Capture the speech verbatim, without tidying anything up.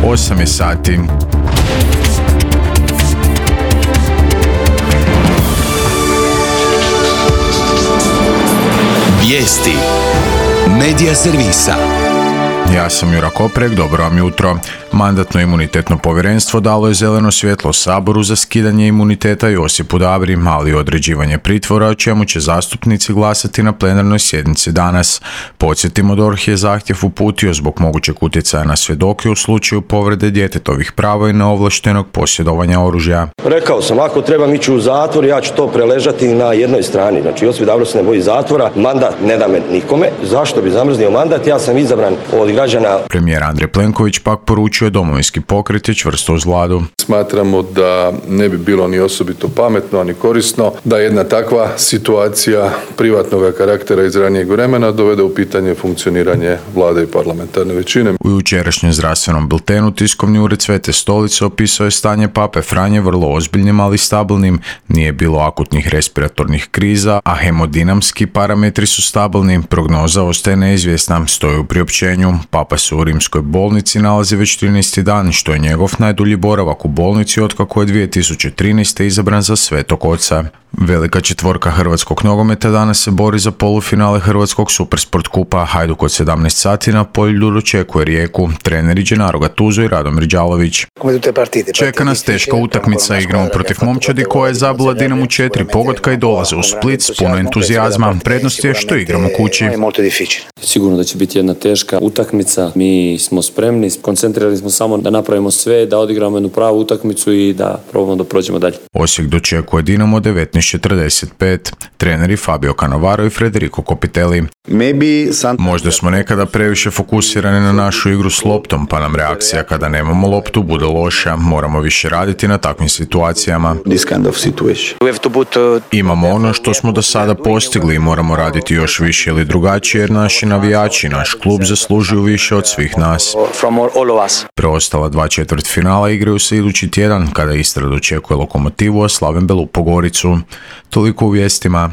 osam je sati. Vijesti Medija servisa. Ja sam Jura Koprek, dobro vam jutro. Mandatno-imunitetno povjerenstvo dalo je zeleno svjetlo Saboru za skidanje imuniteta Josipu Dabri, ali i određivanje pritvora, o čemu će zastupnici glasati na plenarnoj sjednici danas. Podsjetimo, D O R H je zahtjev uputio zbog mogućeg utjecaja na svjedoke u slučaju povrede djetetovih prava i neovlaštenog posjedovanja oružja. Rekao sam, ako trebam ići u zatvor, ja ću to preležati na jednoj strani. Znači, Josip Dabro se ne boji zatvora, mandat ne da me nikome. Zašto bi zamrznio mandat? Ja sam izabran od građana. Premijer Andrej Plenković pak poručuje Domovinski pokret je čvrsto uz Vladu. Smatramo da ne bi bilo ni osobito pametno, ni korisno da jedna takva situacija privatnog karaktera iz ranijeg vremena dovede u pitanje funkcioniranje Vlade i parlamentarne većine. U jučerašnjem zdravstvenom biltenu tiskovni ured Svete Stolice opisao je stanje pape Franje vrlo ozbiljnim, ali stabilnim. Nije bilo akutnih respiratornih kriza, a hemodinamski parametri su stabilni. Prognoza ostaje neizvjesna, stoji u priopćenju. Papa se u rimskoj bolnici nalazi već trinaesti dan, što je njegov najdulji boravak u bolnici otkako je dvije tisuće trinaeste. izabran za Svetog Oca. Velika četvorka hrvatskog nogometa danas se bori za polufinale Hrvatskog Supersport kupa. Hajduk od sedamnaest sati na Poljlju dočekuje Rijeku. Treneri Gennaro Gattuso i Radomir Đalović. Čeka nas teška utakmica, igramo protiv momčadi koja je zabila Dinamo četiri pogotka i dolaze u Split s puno entuzijazma. Prednost je što igramo kući. Sigurno da će biti jedna teška utakmica. Mi smo spremni, koncentrirali smo samo da napravimo sve, da odigramo jednu pravu utakmicu i da probamo da prođemo dalje. Osijek dočekuje Dinamo devetnaest četrdeset pet. Treneri Fabio Cannavaro i Federico Copitelli. Možda smo nekada previše fokusirani na našu igru s loptom, pa nam reakcija kada nemamo loptu bude loša. Moramo više raditi na takvim situacijama. Imamo ono što smo do sada postigli i moramo raditi još više ili drugačije, jer naši navijači, naš klub zaslužuju više od svih nas. Preostala dva četvrtfinala igraju se idući tjedan kada Istra dočekuje Lokomotivu, a Slaven Belupo Goricu. Toliko u vijestima.